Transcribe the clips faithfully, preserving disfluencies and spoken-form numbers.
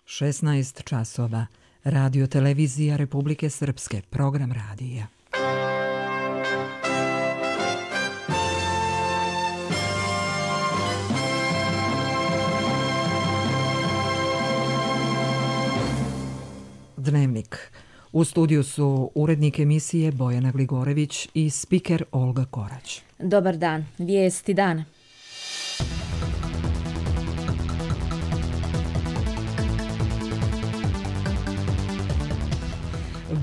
šesnaest časova. Radio televizija Republike Srpske, program radija. Dnevnik. U studiju su urednik emisije Bojana Gligorević i spiker Olga Korać. Dobar dan, vijesti dana.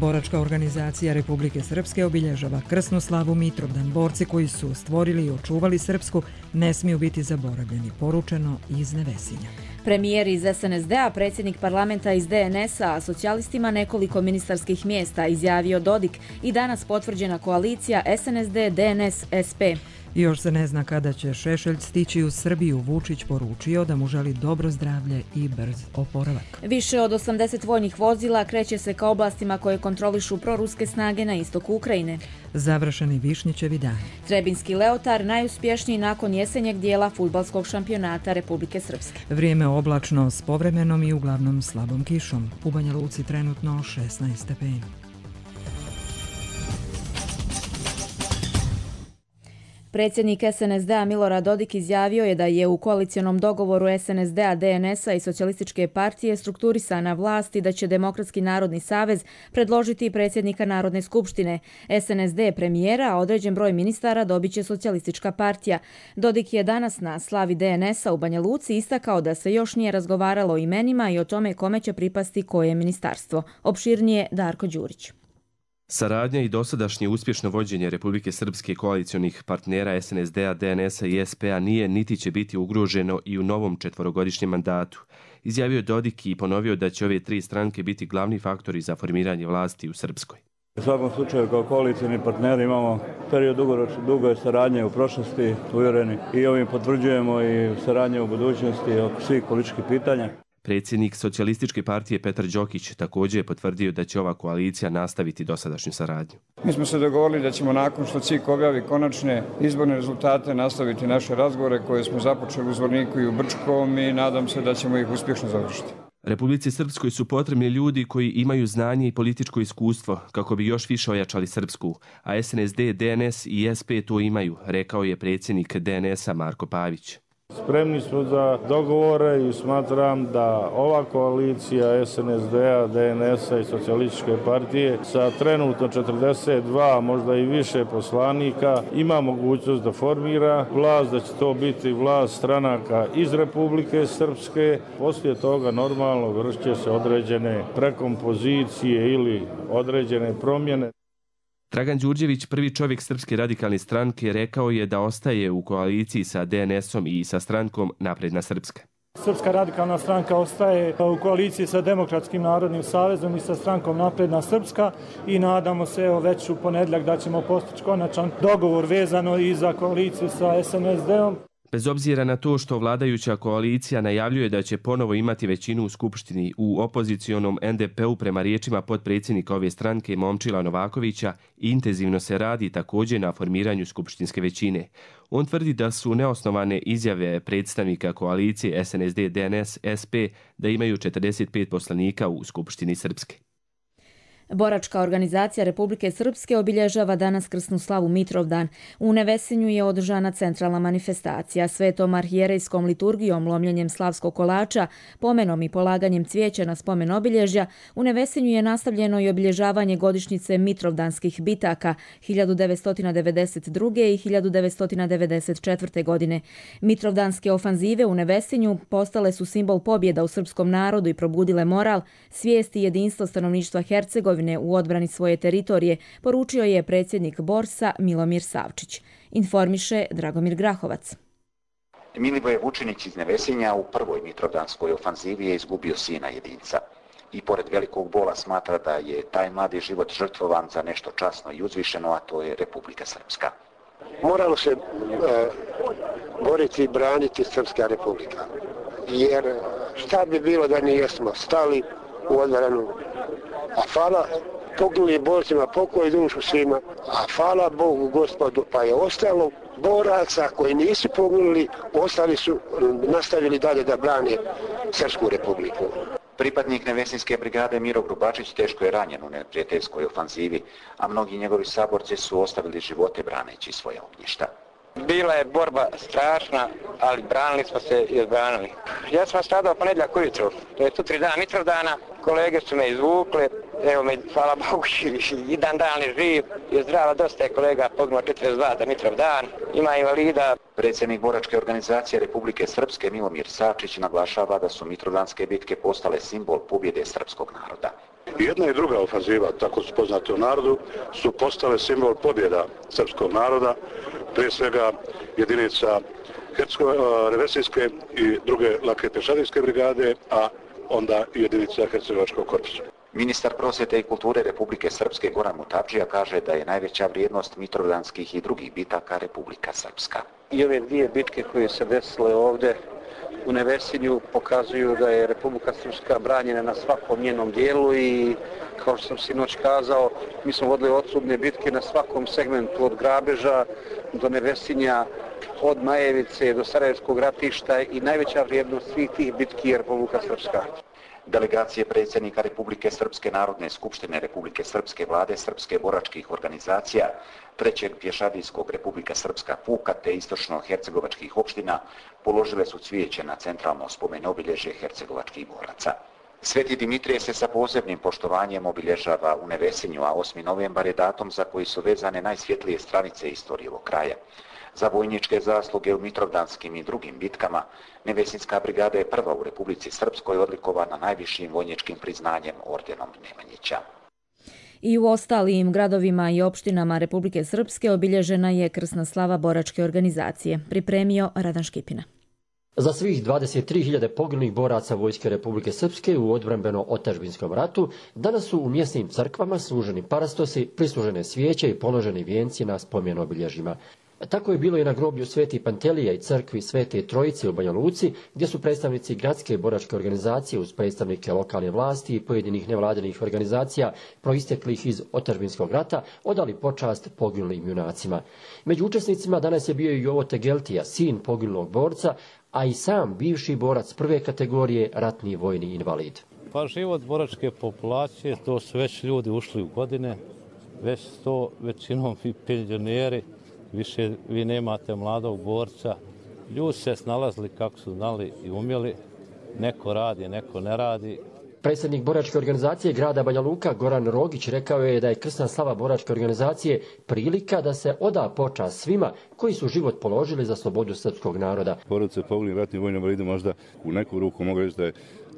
Boračka organizacija Republike Srpske obilježava krsnu slavu Mitrovdan. Borci koji su stvorili i očuvali Srpsku ne smiju biti zaboravljeni, poručeno iz Nevesinja. Premijer iz S N S D-a, predsjednik parlamenta iz D N S-a, a socijalistima nekoliko ministarskih mjesta, izjavio Dodik i danas potvrđena koalicija S N S D, D N S, S P. Još se ne zna kada će Šešelj stići u Srbiju. Vučić poručio da mu želi dobro zdravlje i brz oporavak. Više od osamdeset vojnih vozila kreće se ka oblastima koje kontrolišu proruske snage na istoku Ukrajine. Završeni Višnjićevi dani. Trebinski Leotar najuspješniji nakon jesenjeg dijela fudbalskog šampionata Republike Srpske. Vrijeme oblačno s povremenom i uglavnom slabom kišom. U Banja Luci trenutno šesnaest stepeni. Predsjednik S N S D-a Milorad Dodik izjavio je da je u koalicionom dogovoru S N S D-a, D N S-a i Socijalističke partije strukturisana vlast i da će Demokratski narodni savez predložiti predsjednika Narodne skupštine. S N S D premijera, a određen broj ministara dobit će Socijalistička partija. Dodik je danas na slavi D N S-a u Banja Luci istakao da se još nije razgovaralo o imenima i o tome kome će pripasti koje ministarstvo. Opširnije Darko Đurić. Saradnja i dosadašnje uspješno vođenje Republike Srpske koalicionih partnera S N S D-a, D N S-a i S P-a nije niti će biti ugroženo i u novom četvorogodišnjem mandatu. Izjavio Dodik i ponovio da će ove tri stranke biti glavni faktori za formiranje vlasti u Srpskoj. U svakom slučaju kao koalicijni partneri imamo period dugo saradnje u prošlosti, uvjereni, i ovim potvrđujemo i saradnje u budućnosti oko svih političkih pitanja. Predsjednik Socijalističke partije Petar Đokić također je potvrdio da će ova koalicija nastaviti dosadašnju saradnju. Mi smo se dogovorili da ćemo nakon što C I K objavi konačne izborne rezultate nastaviti naše razgovore koje smo započeli u Zvorniku i u Brčkom i nadam se da ćemo ih uspješno završiti. Republici Srpskoj su potrebni ljudi koji imaju znanje i političko iskustvo kako bi još više ojačali Srpsku, a S N S D, D N S i S P to imaju, rekao je predsjednik D N S-a Marko Pavić. Spremni smo za dogovore i smatram da ova koalicija S N S D-a, D N S-a i Socijalističke partije sa trenutno četrdeset dva, možda i više poslanika ima mogućnost da formira vlast, da će to biti vlast stranaka iz Republike Srpske. Poslije toga normalno vršće se određene prekompozicije ili određene promjene. Dragan Đurđević, prvi čovjek Srpske radikalne stranke, rekao je da ostaje u koaliciji sa D N S-om i sa strankom Napredna Srpska. Srpska radikalna stranka ostaje u koaliciji sa Demokratskim narodnim savezom i sa strankom Napredna Srpska i nadamo se evo, već u ponedjeljak da ćemo postići konačan dogovor vezano i za koaliciju sa S N S D-om. Bez obzira na to što vladajuća koalicija najavljuje da će ponovo imati većinu u Skupštini, u opozicionom N D P-u prema riječima potpredsjednika ove stranke Momčila Novakovića intenzivno se radi također na formiranju skupštinske većine. On tvrdi da su neosnovane izjave predstavnika koalicije S N S D, D N S, S P da imaju četrdeset pet poslanika u Skupštini Srpske. Boračka organizacija Republike Srpske obilježava danas krsnu slavu Mitrovdan. U Nevesinju je održana centralna manifestacija. Svetom arhijerejskom liturgijom, lomljenjem slavskog kolača, pomenom i polaganjem cvijeća na spomen obilježja, u Nevesinju je nastavljeno i obilježavanje godišnjice Mitrovdanskih bitaka hiljadu devetsto devedeset druge. i hiljadu devetsto devedeset četvrte. godine. Mitrovdanske ofanzive u Nevesinju postale su simbol pobjeda u srpskom narodu i probudile moral, svijest i jedinstvo stanovništva Hercegovine u odbrani svoje teritorije, poručio je predsjednik Borsa Milomir Savčić. Informiše Dragomir Grahovac. Milivoje Vučinić iz Nevesinja u prvoj Mitrovdanskoj ofanzivi je izgubio sina jedinca. I pored velikog bola smatra da je taj mladi život žrtvovan za nešto časno i uzvišeno, a to je Republika Srpska. Moralo se e, boriti i braniti Srpska republika. Jer šta bi bilo da nijesmo stali u odbranu. A hvala poginulim borcima, pokoj dušu svima, a hvala Bogu Gospodu, pa je ostalo boraca koji nisu poginuli, ostali su nastavili dalje da brane Srpsku republiku. Pripadnik Nevesinske brigade Miro Grubačić teško je ranjen u neprijateljskoj ofanzivi, a mnogi njegovi saborci su ostavili živote braneći svoje ognjišta. Bila je borba strašna, ali branili smo se i odbranili. Ja sam stradao ponedjeljak ujutro, to je tu tri dana Mitrovdana, kolege su me izvukle, evo me, hvala Bogu, i dan dan je živ, je zdrava, dosta je kolega poginulo četrdeset dva za Mitrovdan, ima invalida. Predsjednik boračke organizacije Republike Srpske Milomir Sačić naglašava da su mitrovdanske bitke postale simbol pobjede srpskog naroda. Jedna i druga ofanziva, tako su poznate u narodu, su postale simbol pobjeda srpskog naroda, prije svega jedinica Nevesinske i druge lake pješadijske brigade, a onda i jedinica Hercegovačkog korpusa. Ministar prosvjete i kulture Republike Srpske Goran Mutavdžija kaže da je najveća vrijednost mitrovdanskih i drugih bitaka Republika Srpska. I ove dvije bitke koje se desile ovdje u Nevesinju pokazuju da je Republika Srpska branjena na svakom njenom dijelu i kao što sam sinoć kazao, mi smo vodili odsudne bitke na svakom segmentu od Grabeža do Nevesinja, od Majevice do Sarajevskog ratišta i najveća vrijednost svih tih bitki je Republika Srpska. Delegacije predsjednika Republike Srpske Narodne skupštine Republike Srpske vlade Srpske boračkih organizacija, trećeg pješadijskog Republika Srpska puka te istočno-hercegovačkih opština položile su cvijeće na centralno spomen obilježje hercegovačkih boraca. Sveti Dimitrije se sa posebnim poštovanjem obilježava u Nevesinju, a osmi novembar je datum za koji su vezane najsvjetlije stranice istorije ovog kraja. Za vojničke zasluge u mitrovdanskim i drugim bitkama, Nevesinska brigada je prva u Republici Srpskoj odlikovana najvišim vojničkim priznanjem ordenom Nemanjića. I u ostalim gradovima i opštinama Republike Srpske obilježena je krsna slava boračke organizacije. Pripremio Radan Škipina. Za svih dvadeset tri hiljade poginulih boraca Vojske Republike Srpske u odbrambeno-otadžbinskom ratu danas su u mjesnim crkvama služeni parastosi, prislužene svijeće i položeni vijenci na spomen obilježjima. Tako je bilo i na groblju Sveti Pantelija i crkvi Svete Trojice u Banja Luci, gdje su predstavnici gradske boračke organizacije uz predstavnike lokalne vlasti i pojedinih nevladinih organizacija proisteklih iz otadžbinskog rata odali počast poginulim junacima. Među učesnicima danas je bio i Jovo Tegeltija, sin poginulog borca, a i sam bivši borac prve kategorije, ratni vojni invalid. Pa život boračke populacije, to su već ljudi ušli u godine, već to većinom i penzioneri, više vi nemate mladog borca. Ljudi se snalazili kako su znali i umjeli, neko radi, neko ne radi. Predsjednik boračke organizacije grada Banja Luka Goran Rogić rekao je da je krsna slava boračke organizacije prilika da se oda počast svima koji su život položili za slobodu srpskog naroda. Porodice poginulim ratnim vojnim invalidima možda u neku ruku mogu reći da je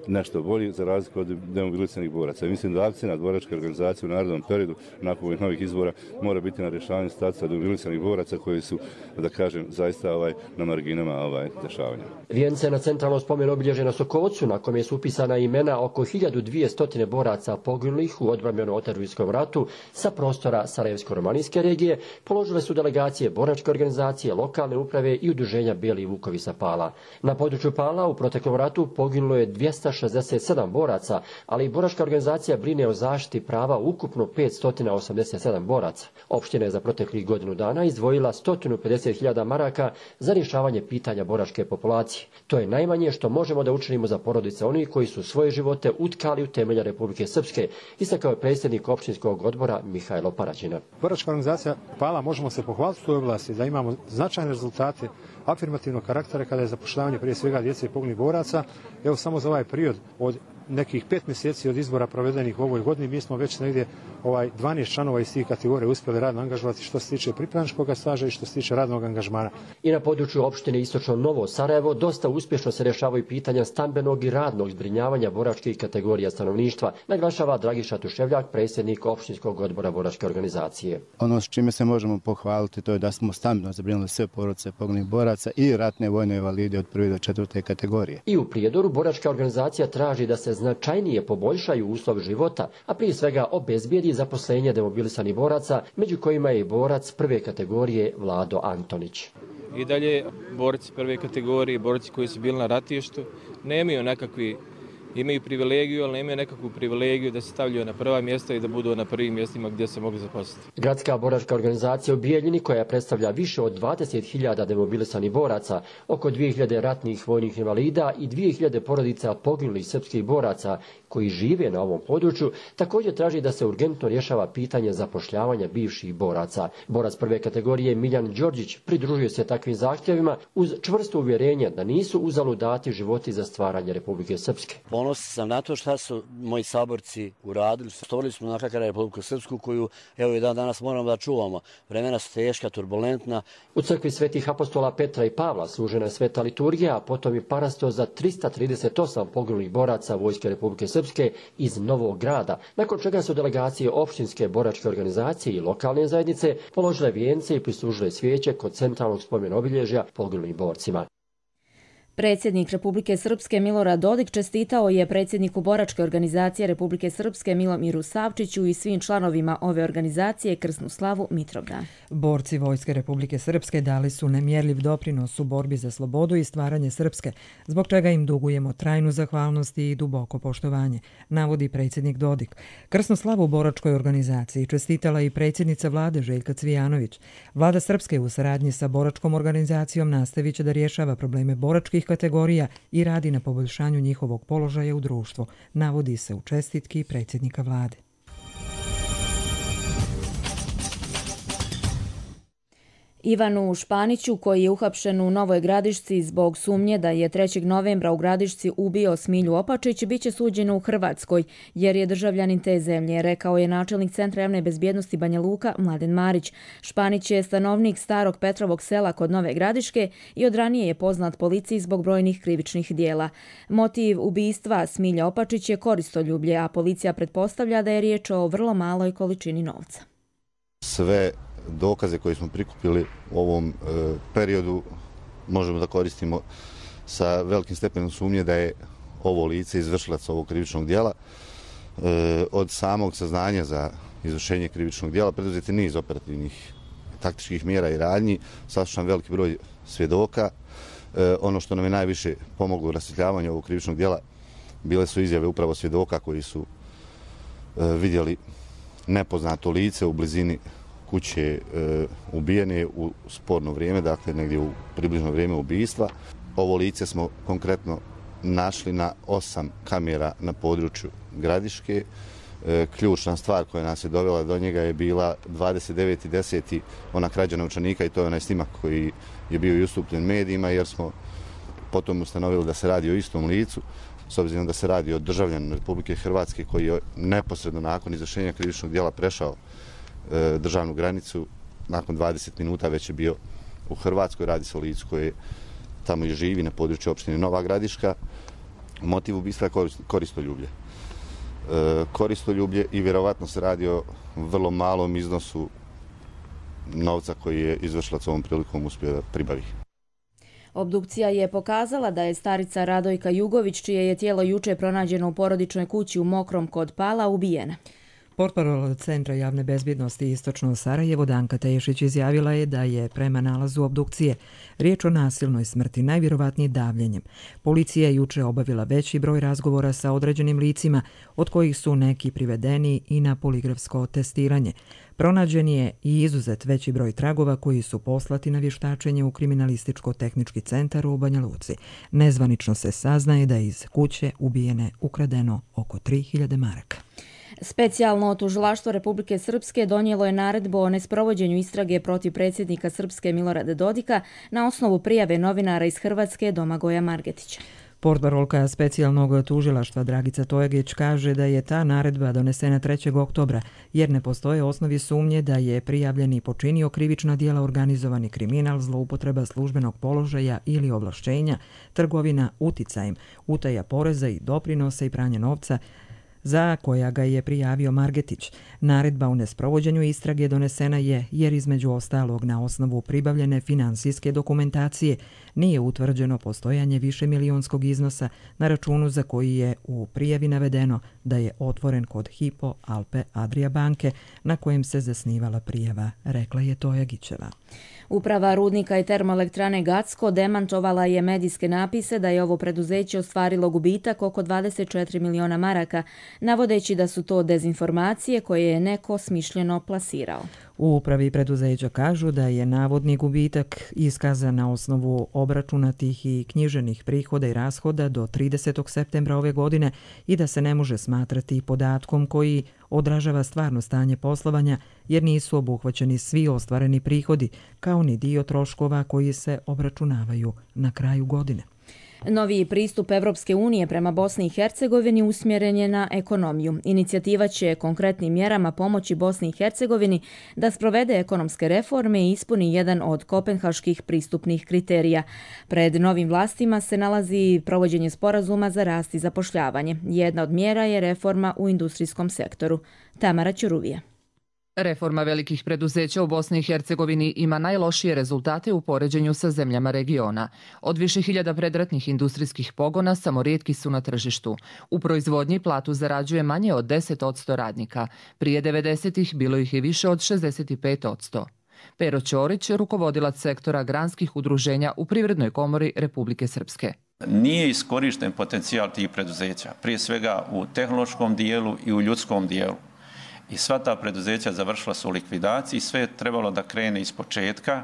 nešto bolji za razliku od demobilisanih boraca. Mislim da akcija boračke organizacije u narodnom periodu nakon ovih novih izbora mora biti na rješavanju statusa demobilisanih boraca koji su, da kažem, zaista ovaj, na marginama ovaj, dešavanja. Vijence na centralno spomen obilježje na Sokovcu, na kome su upisana imena oko hiljadu dvjesto boraca poginulih u odbrambeno-otadžbinskom ratu sa prostora Sarajevsko-romanijske regije, položile su delegacije boračke organizacije, lokalne uprave i udruženja Bijeli Vukovi sa Pala. Na području Pala u proteklom ratu poginulo je dvjesto šezdeset sedam boraca, ali i boračka organizacija brine o zaštiti prava ukupno petsto osamdeset sedam boraca. Opština je za proteklih godinu dana izdvojila sto pedeset hiljada maraka za rješavanje pitanja boračke populacije. To je najmanje što možemo da učinimo za porodice onih koji su svoje živote utkali u temelja Republike Srpske, istakao je predsjednik opštinskog odbora Mihajlo Paraćina. Boračka organizacija Pala možemo se pohvaliti u toj oblasti da imamo značajne rezultate afirmativnog karaktera kada je zapošljavanje prije svega djece i poginulih boraca. Evo samo za ovaj period od nekih pet mjeseci od izbora provedenih u ovoj godini mi smo već negdje ovaj dvanaest članova iz tih kategorija uspjeli radno angažovati što se tiče pripravničkog staža i što se tiče radnog angažmana. I na području opštine Istočno Novo Sarajevo dosta uspješno se rješavaju pitanja stambenog i radnog zbrinjavanja boračkih kategorija stanovništva, naglašava Dragiša Tuševljak, predsjednik opštinskog odbora boračke organizacije. Ono s čime se možemo pohvaliti to je da smo stambeno zbrinuli sve porodice poginulih boraca i ratne vojne invalide od prve do četvrte kategorije. I u Prijedoru boračka organizacija traži da se značajnije poboljšaju uslovi života, a prije svega obezbijedi zaposlenje demobilisanih boraca, među kojima je i borac prve kategorije Vlado Antonić. I dalje borci prve kategorije, borci koji su bili na ratištu, nemaju nekakvi imaju privilegiju, ali nemaju nekakvu privilegiju da se stavljaju na prva mjesta i da budu na prvim mjestima gdje se mogli zaposliti. Gradska boračka organizacija u Bijeljini, koja predstavlja više od dvadeset hiljada demobilisanih boraca, oko dvije hiljade ratnih vojnih invalida i dvije hiljade porodica poginulih srpskih boraca koji žive na ovom području, također traži da se urgentno rješava pitanje zapošljavanja bivših boraca. Borac prve kategorije Miljan Đorđić pridružuje se takvim zahtjevima uz čvrsto uvjerenje da nisu uzalud dati životi za stvaranje Republike Srpske. Ponosan sam na to šta su moji saborci uradili. Stvorili smo na kakara Republiku Srpsku koju evo i dan danas moramo da čuvamo. Vremena su teška, turbulentna. U crkvi svetih apostola Petra i Pavla služena je sveta liturgija, a potom i parasto za trista trideset osam poginulih boraca Vojske Republike Srpske iz Novog Grada, nakon čega su delegacije opštinske boračke organizacije i lokalne zajednice položile vijence i prislužile svijeće kod centralnog spomen obilježja poginulim borcima. Predsjednik Republike Srpske Milorad Dodik čestitao je predsjedniku boračke organizacije Republike Srpske Milomiru Savčiću i svim članovima ove organizacije krsnu slavu Mitrovdan. Borci Vojske Republike Srpske dali su nemjerljiv doprinos u borbi za slobodu i stvaranje Srpske, zbog čega im dugujemo trajnu zahvalnost i duboko poštovanje, navodi predsjednik Dodik. Krsnu slavu boračkoj organizaciji čestitala i predsjednica vlade Željka Cvijanović. Vlada Srpske u saradnji sa boračkom organizacijom nastavit će da rješava probleme boračkih kategorija i radi na poboljšanju njihovog položaja u društvu, navodi se u čestitki predsjednika vlade. Ivanu Španiću, koji je uhapšen u Novoj Gradišci zbog sumnje da je trećeg novembra u Gradišci ubio Smilju Opačić, biće suđeno u Hrvatskoj, jer je državljanin te zemlje, rekao je načelnik Centra javne bezbjednosti Banja Luka Mladen Marić. Španić je stanovnik starog Petrovog sela kod Nove Gradiške i od ranije je poznat policiji zbog brojnih krivičnih dijela. Motiv ubistva Smilja Opačić je koristoljublje, a policija pretpostavlja da je riječ o vrlo maloj količini novca. Sve dokaze koje smo prikupili u ovom e, periodu možemo da koristimo sa velikim stepenom sumnje da je ovo lice izvršilac ovog krivičnog dijela. E, od samog saznanja za izvršenje krivičnog dijela preduzeti niz operativnih taktičkih mjera i radnji, saslušan veliki broj svjedoka. E, ono što nam je najviše pomoglo u rasvjetljavanju ovog krivičnog dijela bile su izjave upravo svjedoka koji su e, vidjeli nepoznato lice u blizini kuće e, ubijene u sporno vrijeme, dakle negdje u približno vrijeme ubijstva. Ovo lice smo konkretno našli na osam kamera na području Gradiške. E, ključna stvar koja nas je dovela do njega je bila dvadeset deveti deseti ona krađa novčanika i to je onaj snimak koji je bio i ustupljen medijima, jer smo potom ustanovili da se radi o istom licu, s obzirom da se radi o državljaninu Republike Hrvatske koji je neposredno nakon izvršenja krivičnog dijela prešao državnu granicu, nakon dvadeset minuta već je bio u Hrvatskoj. Radi se o licu koje tamo i živi na području opštine Nova Gradiška. Motiv ubistva je koristoljublje. Koristoljublje i vjerovatno se radi o vrlo malom iznosu novca koji je izvršilac ovom prilikom uspio da pribavi. Obdukcija je pokazala da je starica Radojka Jugović, čije je tijelo juče pronađeno u porodičnoj kući u Mokrom kod Pala, ubijena. Portparol Centra javne bezbjednosti Istočno Sarajevo Danka Tešić izjavila je da je prema nalazu obdukcije riječ o nasilnoj smrti, najvjerovatnije davljenjem. Policija je juče obavila veći broj razgovora sa određenim licima, od kojih su neki privedeni i na poligrafsko testiranje. Pronađen je i izuzet veći broj tragova koji su poslati na vještačenje u Kriminalističko-tehnički centar u Banja Luci. Nezvanično se saznaje da je iz kuće ubijene ukradeno oko tri hiljade maraka. Specijalno tužilaštvo Republike Srpske donijelo je naredbu o nesprovođenju istrage protiv predsjednika Srpske Milorada Dodika na osnovu prijave novinara iz Hrvatske Domagoja Margetića. Portparolka specijalnog tužilaštva Dragica Tojagić kaže da je ta naredba donesena trećeg oktobra jer ne postoje osnovi sumnje da je prijavljeni počinio krivična djela organizovani kriminal, zloupotreba službenog položaja ili ovlašćenja, trgovina uticajem, utaja poreza i doprinosa i pranje novca, za koja ga je prijavio Margetić. Naredba o nesprovođenju istrage donesena je jer između ostalog na osnovu pribavljene finansijske dokumentacije nije utvrđeno postojanje višemilijonskog iznosa na računu za koji je u prijavi navedeno da je otvoren kod Hypo Alpe Adria banke na kojem se zasnivala prijava, rekla je Tojagićeva. Uprava rudnika i termoelektrane Gacko demantovala je medijske napise da je ovo preduzeće ostvarilo gubitak oko dvadeset četiri miliona maraka, navodeći da su to dezinformacije koje je neko smišljeno plasirao. U upravi preduzeća kažu da je navodni gubitak iskazan na osnovu obračunatih i knjiženih prihoda i rashoda do tridesetog septembra ove godine i da se ne može smatrati podatkom koji odražava stvarno stanje poslovanja jer nisu obuhvaćeni svi ostvareni prihodi, kao ni dio troškova koji se obračunavaju na kraju godine. Noviji pristup Evropske unije prema Bosni i Hercegovini usmjeren je na ekonomiju. Inicijativa će konkretnim mjerama pomoći Bosni i Hercegovini da sprovede ekonomske reforme i ispuni jedan od kopenhaških pristupnih kriterija. Pred novim vlastima se nalazi provođenje sporazuma za rast i zapošljavanje. Jedna od mjera je reforma u industrijskom sektoru. Tamara Ćuruvija. Reforma velikih preduzeća u Bosni i Hercegovini ima najlošije rezultate u poređenju sa zemljama regiona. Od više hiljada predratnih industrijskih pogona samo rijetki su na tržištu. U proizvodnji platu zarađuje manje od deset posto radnika. Prije devedesetih bilo ih je više od šezdeset pet posto. Pero Ćorić, rukovodilac sektora granskih udruženja u Privrednoj komori Republike Srpske. Nije iskorišten potencijal tih preduzeća, prije svega u tehnološkom dijelu i u ljudskom dijelu. I sva ta preduzeća završila su u likvidaciji, sve je trebalo da krene iz početka,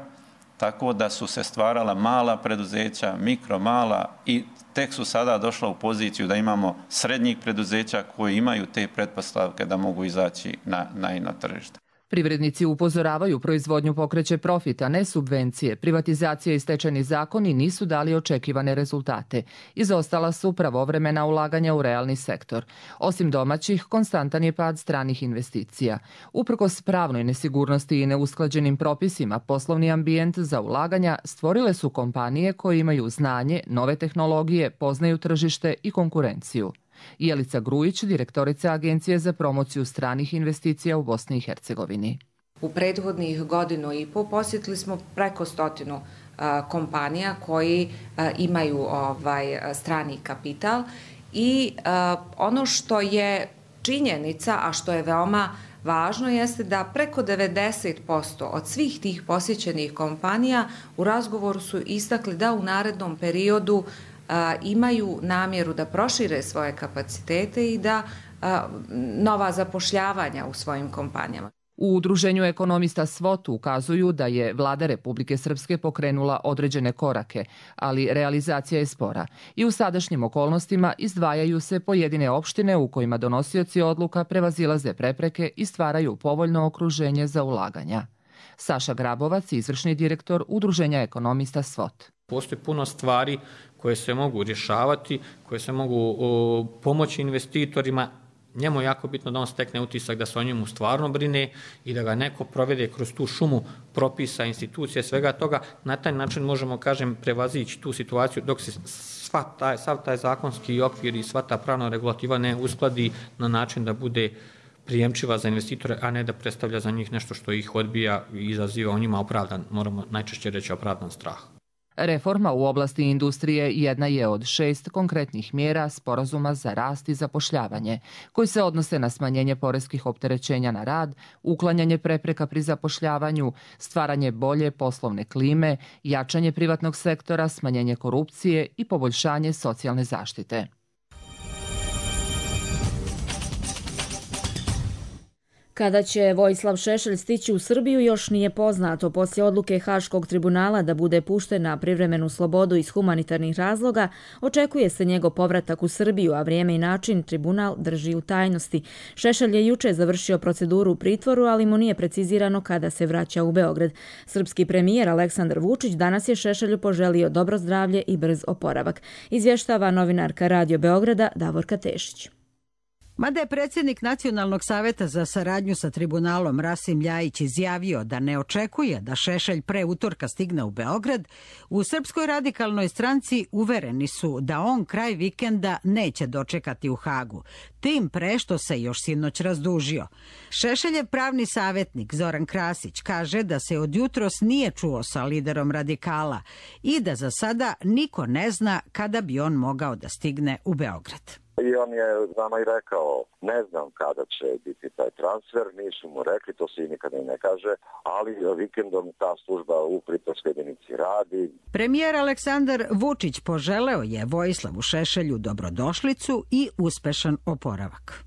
tako da su se stvarala mala preduzeća, mikro, mala i tek su sada došla u poziciju da imamo srednjih preduzeća koji imaju te pretpostavke da mogu izaći na, na, na tržište. Privrednici upozoravaju proizvodnju pokreće profit, a ne subvencije. Privatizacija i stečajni zakoni nisu dali očekivane rezultate. Izostala su pravovremena ulaganja u realni sektor. Osim domaćih, konstantan je pad stranih investicija. Uprkos pravnoj nesigurnosti i neusklađenim propisima, poslovni ambijent za ulaganja stvorile su kompanije koje imaju znanje, nove tehnologije, poznaju tržište i konkurenciju. Jelica Grujić, direktorica Agencije za promociju stranih investicija u Bosni i Hercegovini. U prethodnih godinu i po posjetili smo preko stotinu a, kompanija koji a, imaju ovaj strani kapital i a, ono što je činjenica, a što je veoma važno, jeste da preko devedeset posto od svih tih posjećenih kompanija u razgovoru su istakli da u narednom periodu A, imaju namjeru da prošire svoje kapacitete i da a, nova zapošljavanja u svojim kompanijama. U udruženju ekonomista SWOT ukazuju da je vlada Republike Srpske pokrenula određene korake, ali realizacija je spora. I u sadašnjim okolnostima izdvajaju se pojedine opštine u kojima donosioci odluka prevazilaze prepreke i stvaraju povoljno okruženje za ulaganja. Saša Grabovac, izvršni direktor udruženja ekonomista SWOT. Postoji puno stvari koje se mogu rješavati, koje se mogu o, pomoći investitorima. Njemu je jako bitno da on stekne utisak da se o njemu stvarno brine i da ga neko provede kroz tu šumu propisa, institucije, svega toga. Na taj način možemo, kažem, prevazići tu situaciju dok se sva taj, sav taj zakonski okvir i sva ta pravna regulativa ne uskladi na način da bude prijemčiva za investitore, a ne da predstavlja za njih nešto što ih odbija i izaziva o njima opravdan, moramo najčešće reći opravdan strah. Reforma u oblasti industrije jedna je od šest konkretnih mjera sporazuma za rast i zapošljavanje, koji se odnose na smanjenje poreskih opterećenja na rad, uklanjanje prepreka pri zapošljavanju, stvaranje bolje poslovne klime, jačanje privatnog sektora, smanjenje korupcije i poboljšanje socijalne zaštite. Kada će Vojislav Šešelj stići u Srbiju još nije poznato. Poslije odluke Haškog tribunala da bude pušten na privremenu slobodu iz humanitarnih razloga, očekuje se njegov povratak u Srbiju, a vrijeme i način tribunal drži u tajnosti. Šešelj je juče završio proceduru u pritvoru, ali mu nije precizirano kada se vraća u Beograd. Srpski premijer Aleksandar Vučić danas je Šešelju poželio dobro zdravlje i brz oporavak. Izvještava novinarka Radio Beograda Davorka Tešić. Mada je predsjednik Nacionalnog saveta za saradnju sa tribunalom Rasim Ljajić izjavio da ne očekuje da Šešelj pre utorka stigne u Beograd, u Srpskoj radikalnoj stranci uvereni su da on kraj vikenda neće dočekati u Hagu. tim pre što se još sinoć razdužio. Šešeljev pravni savjetnik Zoran Krasić kaže da se od jutros nije čuo sa liderom radikala i da za sada niko ne zna kada bi on mogao da stigne u Beograd. I on je nama i rekao, ne znam kada će biti taj transfer, nisu mu rekli, to se i nikada i ne kaže, ali vikendom ta služba u pritvorskoj jedinici radi. Premijer Aleksandar Vučić poželeo je Vojislavu Šešelju dobrodošlicu i uspešan oporavak.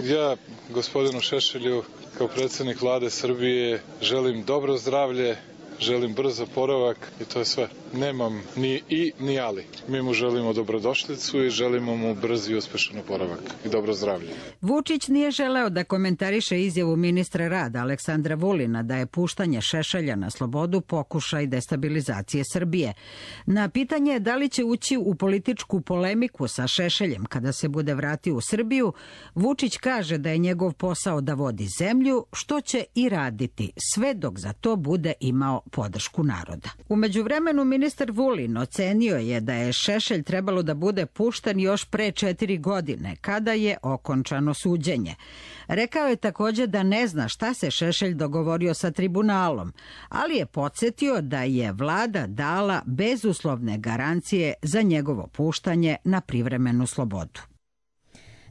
Ja, gospodinu Šešelju, kao predsjednik vlade Srbije, želim dobro zdravlje, želim brz oporavak i to je sve. Nemam ni i ni ali. Mi mu želimo dobrodošlicu i želimo mu brz i uspešan oporavak i dobro zdravlje. Vučić nije želeo da komentariše izjavu ministra rada Aleksandra Vulina da je puštanje Šešelja na slobodu pokušaj destabilizacije Srbije. Na pitanje da li će ući u političku polemiku sa Šešeljem kada se bude vratio u Srbiju, Vučić kaže da je njegov posao da vodi zemlju, što će i raditi, sve dok za to bude imao podršku naroda. U međuvremenu ministar Vulin ocenio je da je Šešelj trebalo da bude pušten još pre četiri godine, kada je okončano suđenje. Rekao je također da ne zna šta se Šešelj dogovorio sa tribunalom, ali je podsjetio da je vlada dala bezuslovne garancije za njegovo puštanje na privremenu slobodu.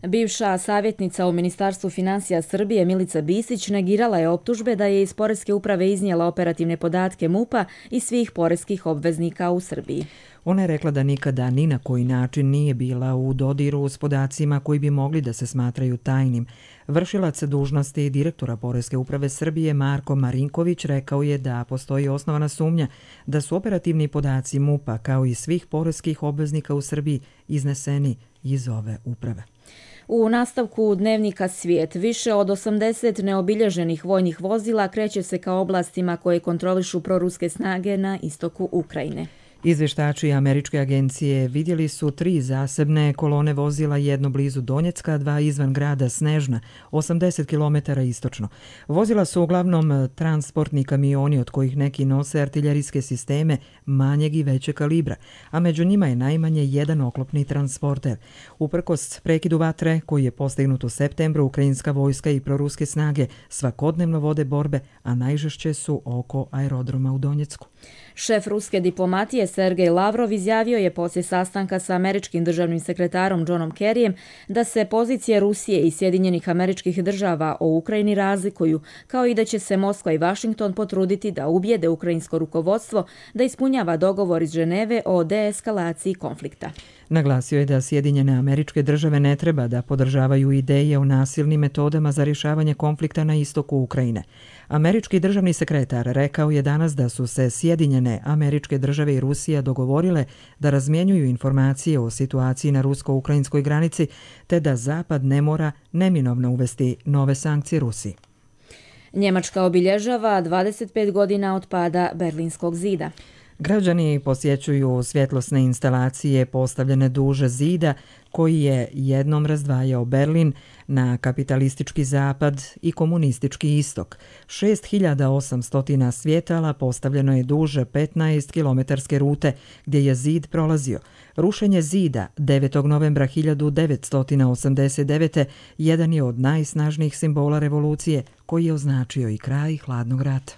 Bivša savjetnica u Ministarstvu finansija Srbije Milica Bisić negirala je optužbe da je iz Poreske uprave iznijela operativne podatke MUP-a i svih poreskih obveznika u Srbiji. Ona je rekla da nikada ni na koji način nije bila u dodiru s podacima koji bi mogli da se smatraju tajnim. Vršilac dužnosti direktora Poreske uprave Srbije Marko Marinković rekao je da postoji osnovana sumnja da su operativni podaci MUP-a kao i svih poreskih obveznika u Srbiji izneseni iz ove uprave. U nastavku dnevnika Svijet više od osamdeset neobilježenih vojnih vozila kreće se ka oblastima koje kontrolišu proruske snage na istoku Ukrajine. Izvještači američke agencije vidjeli su tri zasebne kolone vozila, jedno blizu Donjecka, dva izvan grada Snežna, osamdeset kilometara istočno. Vozila su uglavnom transportni kamioni od kojih neki nose artiljerijske sisteme manjeg i većeg kalibra, a među njima je najmanje jedan oklopni transporter. Uprkos prekidu vatre koji je postignut u septembru, ukrajinska vojska i proruske snage svakodnevno vode borbe, a najžešće su oko aerodroma u Donjecku. Šef ruske diplomatije Sergej Lavrov izjavio je poslije sastanka sa američkim državnim sekretarom Johnom Kerryjem da se pozicije Rusije i Sjedinjenih Američkih Država o Ukrajini razlikuju, kao i da će se Moskva i Vašington potruditi da ubijede ukrajinsko rukovodstvo da ispunjava dogovor iz Ženeve o deeskalaciji konflikta. Naglasio je da Sjedinjene Američke Države ne treba da podržavaju ideje o nasilnim metodama za rješavanje konflikta na istoku Ukrajine. Američki državni sekretar rekao je danas da su se Sjedinjene Američke Države i Rusija dogovorile da razmjenjuju informacije o situaciji na rusko-ukrajinskoj granici, te da Zapad ne mora neminovno uvesti nove sankcije Rusiji. Njemačka obilježava dvadeset pet godina od pada Berlinskog zida. Građani posjećuju svjetlosne instalacije postavljene duže zida koji je jednom razdvajao Berlin na kapitalistički zapad i komunistički istok. šest hiljada osamsto svjetala postavljeno je duže petnaest kilometarske rute gdje je zid prolazio. Rušenje zida devetog novembra hiljadu devetsto osamdeset devete jedan je od najsnažnijih simbola revolucije koji je označio i kraj hladnog rata.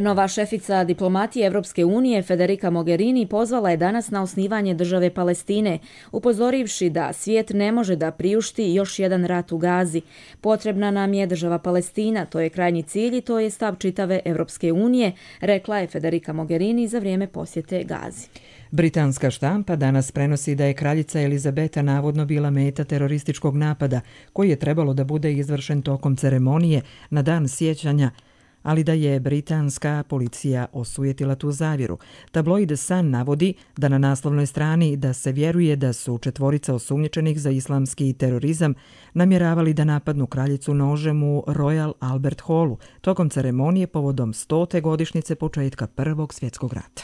Nova šefica diplomatije Evropske unije Federica Mogherini pozvala je danas na osnivanje države Palestine, upozorivši da svijet ne može da priušti još jedan rat u Gazi. Potrebna nam je država Palestina, to je krajnji cilj i to je stav čitave Evropske unije, rekla je Federica Mogherini za vrijeme posjete Gazi. Britanska štampa danas prenosi da je kraljica Elizabeta navodno bila meta terorističkog napada koji je trebalo da bude izvršen tokom ceremonije na dan sjećanja, ali da je britanska policija osujetila tu zavjeru. Tabloid Sun navodi da na naslovnoj strani da se vjeruje da su četvorica osumnjičenih za islamski terorizam namjeravali da napadnu kraljicu nožem u Royal Albert Hallu tokom ceremonije povodom stote godišnjice početka Prvog svjetskog rata.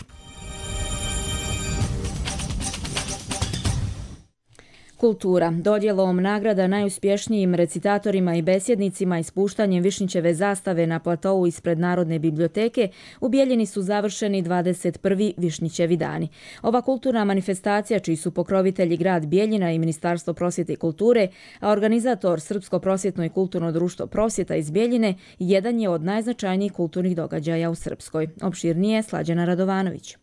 Kultura. Dodjelom nagrada najuspješnijim recitatorima i besjednicima i spuštanjem Višnjićeve zastave na platovu ispred Narodne biblioteke u Bijeljini su završeni dvadeset prvi Višnjićevi dani. Ova kulturna manifestacija, čiji su pokrovitelji grad Bijeljina i Ministarstvo prosvjete i kulture, a organizator Srpsko prosvjetno i kulturno društvo Prosvjeta iz Bijeljine, jedan je od najznačajnijih kulturnih događaja u Srpskoj. Opširnije Slađana Radovanović.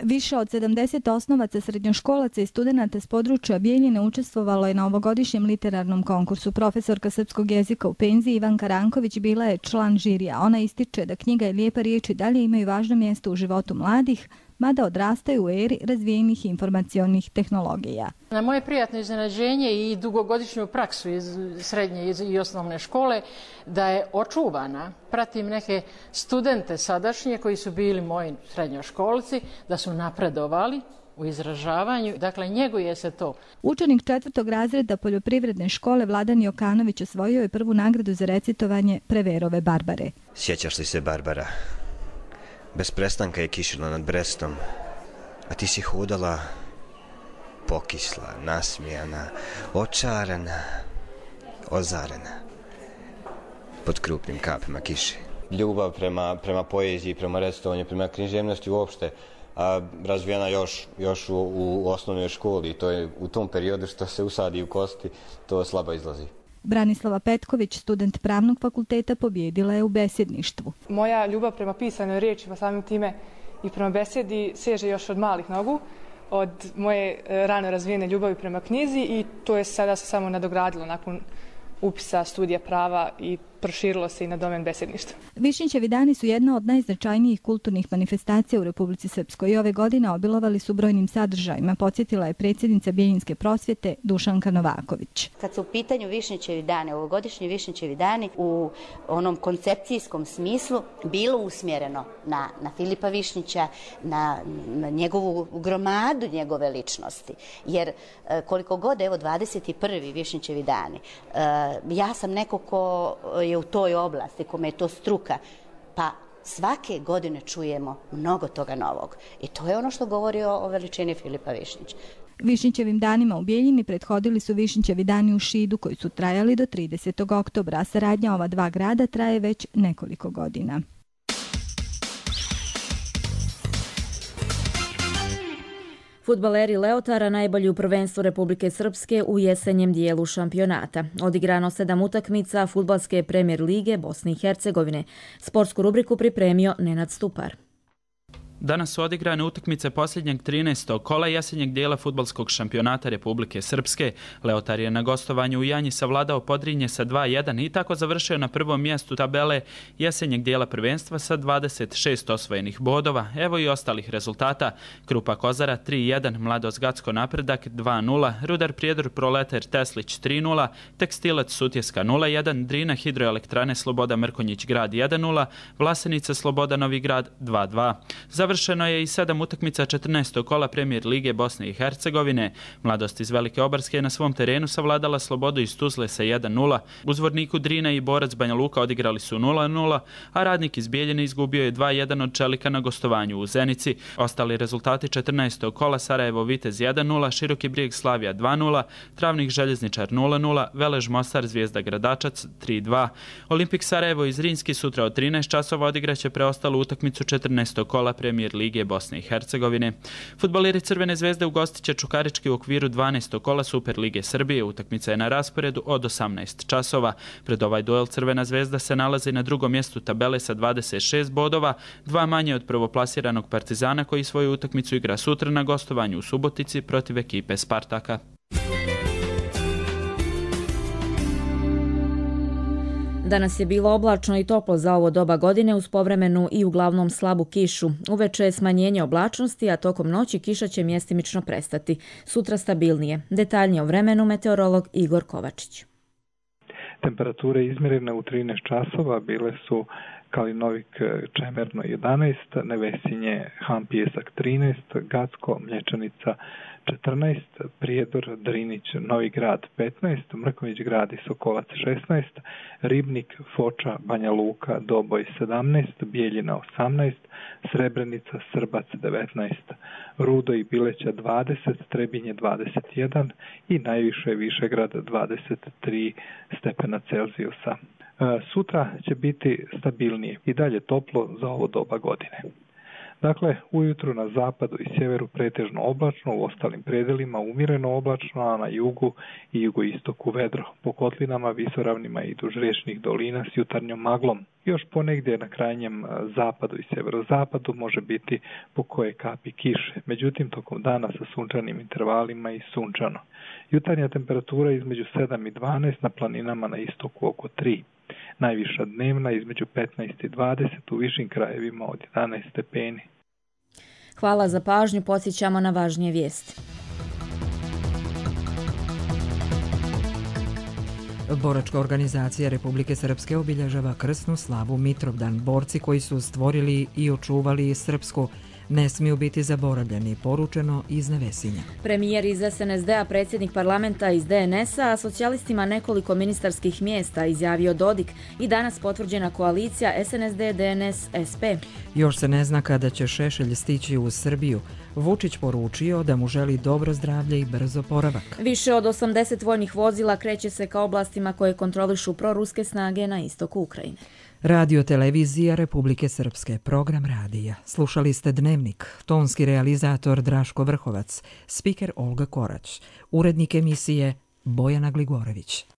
Više od sedamdeset osnovaca, srednjoškolaca i studenata s područja Bijeljine učestvovalo je na ovogodišnjem literarnom konkursu. Profesorka srpskog jezika u penziji Ivanka Ranković bila je član žirija. Ona ističe da knjiga i lijepa riječ i dalje imaju važno mjesto u životu mladih, mada odrastaju u eri razvijenih informacionih tehnologija. Na moje prijatno iznenađenje i dugogodišnju praksu iz srednje i osnovne škole da je očuvana. Pratim neke studente sadašnje koji su bili moji srednjoškolci, da su napredovali u izražavanju. Dakle, njeguje se to. Učenik četvrtog razreda poljoprivredne škole Vladan Jokanović osvojio je prvu nagradu za recitovanje Preverove Barbare. Sjećaš li se, Barbara? Bez prestanka je kišila nad Brestom, a ti si hodala pokisla, nasmijana, očarana, ozarena, pod krupnim kapima kiše. Ljubav prema, prema poeziji, prema recitovanju, prema književnosti uopšte, a razvijena još, još u, u osnovnoj školi. To je u tom periodu što se usadi u kosti, to slabo izlazi. Branislava Petković, student pravnog fakulteta, pobjedila je u besjedništvu. Moja ljubav prema pisanoj riječi, pa samim time i prema besjedi, seže još od malih nogu, od moje rano razvijene ljubavi prema knjizi i to je sada se samo nadogradilo nakon upisa studija prava i proširilo se i na domen besjedništva. Višnjićevi dani su jedna od najznačajnijih kulturnih manifestacija u Republici Srpskoj i ove godine obilovali su brojnim sadržajima, podsjetila je predsjednica Bijeljinske prosvjete Dušanka Novaković. Kad su u pitanju Višnjićevi dani, ovogodišnji Višnjićevi dani u onom koncepcijskom smislu bilo usmjereno na, na Filipa Višnjića, na, na njegovu gromadu njegove ličnosti. Jer koliko god, evo dvadeset prvi Višnjićevi dani, ja sam neko ko je u toj oblasti, kome je to struka, pa svake godine čujemo mnogo toga novog. I to je ono što govori o, o veličini Filipa Višnjića. Višnjićevim danima u Bijeljini prethodili su Višnjićevi dani u Šidu koji su trajali do tridesetog oktobra, a saradnja ova dva grada traje već nekoliko godina. Fudbaleri Leotara najbolji u prvenstvu Republike Srpske u jesenjem dijelu šampionata. Odigrano sedam utakmica Fudbalske premijer lige Bosne i Hercegovine. Sportsku rubriku pripremio Nenad Stupar. Danas su odigrane utakmice posljednjeg trinaestog kola jesenjeg dijela fudbalskog šampionata Republike Srpske. Leotar je na gostovanju u Janji savladao Podrinje sa dva jedan i tako završio na prvom mjestu tabele jesenjeg dijela prvenstva sa dvadeset šest osvojenih bodova. Evo i ostalih rezultata. Krupa Kozara tri jedan, Mladost Gacko Napredak dva nula, Rudar Prijedor Proletar Teslić tri nula, Tekstilac Sutjeska nula jedan, Drina Hidroelektrane Sloboda Mrkonjić Grad jedan nula, Vlasenica Sloboda Novi Grad dva dva. Završeno je i sedam utakmica četrnaestog kola premijer lige Bosne i Hercegovine. Mladost iz Velike Obarske je na svom terenu savladala Slobodu iz Tuzle sa jedan nula. U Zvorniku Drina i Borac Banja Luka odigrali su nula nula, a Radnik iz Bijeljine izgubio je dva jedan od Čelika na gostovanju u Zenici. Ostali rezultati četrnaestog kola: Sarajevo Vitez jedan nula, Široki Brijeg Slavija dva nula, Travnik Željezničar nula nula, Velež Mostar Zvijezda Gradačac tri dva. Olimpik Sarajevo iz Rinski sutra od trinaest časova odigraće preostalu utakmicu četrnaestog kola premijer lige Bosne i Hercegovine. Fudbaleri Crvene zvezde ugostiće Čukarički u okviru dvanaestog kola Super lige Srbije. Utakmica je na rasporedu od osamnaest časova. Pred ovaj duel Crvena zvezda se nalazi na drugom mjestu tabele sa dvadeset šest bodova, dva manje od prvoplasiranog Partizana koji svoju utakmicu igra sutra na gostovanju u Subotici protiv ekipe Spartaka. Danas je bilo oblačno i toplo za ovo doba godine uz povremenu i uglavnom slabu kišu. Uveče je smanjenje oblačnosti, a tokom noći kiša će mjestimično prestati. Sutra stabilnije. Detaljnije o vremenu meteorolog Igor Kovačić. Temperature izmjerene u trinaest časova bile su Kalinovik Čemerno jedanaest, Nevesinje Han Pijesak trinaest, Gacko Mlječanica četrnaest, Prijedor Drinić Novi Grad petnaest, Mrković Grad i Sokolac šesnaest, Ribnik Foča Banja Luka Doboj sedamnaest, Bijeljina osamnaest, Srebrenica Srbac devetnaest, Rudo i Bileća dvadeset, Trebinje dvadeset jedan i najviše Višegrad dvadeset tri stepena Celzijusa. Sutra će biti stabilnije i dalje toplo za ovo doba godine. Dakle, ujutru na zapadu i sjeveru pretežno oblačno, u ostalim predelima umjereno oblačno, a na jugu i jugoistoku vedro. Po kotlinama, visoravnima i duž riječnih dolina s jutarnjom maglom. Još ponegdje na krajnjem zapadu i sjeverozapadu može biti po koje kapi kiše. Međutim, tokom dana sa sunčanim intervalima i sunčano. Jutarnja temperatura između sedam i dvanaest, na planinama na istoku oko tri. Najviša dnevna između petnaest i dvadeset, u višim krajevima od jedanaest stepeni. Hvala za pažnju, podsjećamo na važnije vijesti. Boračka organizacija Republike Srpske obilježava krsnu slavu Mitrovdan. Borci koji su stvorili i očuvali srpsku ne smiju biti zaboravljeni, poručeno iz Nevesinja. Premijer iz S N S D-a, predsjednik parlamenta iz D N S-a, a socijalistima nekoliko ministarskih mjesta, izjavio Dodik i danas potvrđena koalicija S N S D, D N S, S P. Još se ne zna kada će Šešelj stići u Srbiju. Vučić poručio da mu želi dobro zdravlje i brzo oporavak. Više od osamdeset vojnih vozila kreće se ka oblastima koje kontrolišu proruske snage na istoku Ukrajine. Radio televizija Republike Srpske, program radija. Slušali ste Dnevnik, tonski realizator Draško Vrhovac, spiker Olga Korać, urednik emisije Bojana Gligorović.